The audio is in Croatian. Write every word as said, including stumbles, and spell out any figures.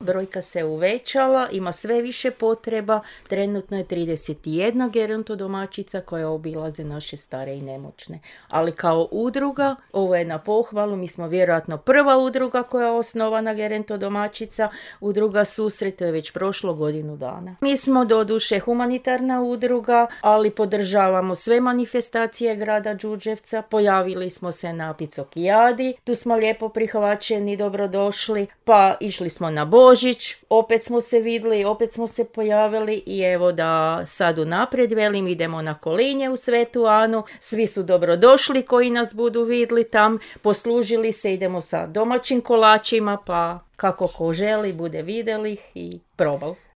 brojka se uvećala, ima sve više potreba. Trenutno je trideset jedna gerontodomaćica koja obilaze naše stare i nemoćne. Ali kao udruga, ovo je na pohvalu, mi smo vjerojatno prva udruga koja je osnovana gerontodomaćica, udruga Susret, to je već prošlo godinu dana. Mi smo doduše humanitarna udruga, ali podržavamo sve manifestacije grada Đurđevca, pojavili smo se na Picokijadi, tu smo lijepo prihvaćeni, dobrodošli, pa išli smo na Božić, opet smo se vidjeli, opet smo se pojavili i evo da sad unaprijed velim, idemo na Kolinje u Svetu Anu, svi su dobrodošli koji nas budu vidjeli tam, poslužili se, idemo sa domaćim kolačima, pa kako ko želi bude vidjeli ih i probal.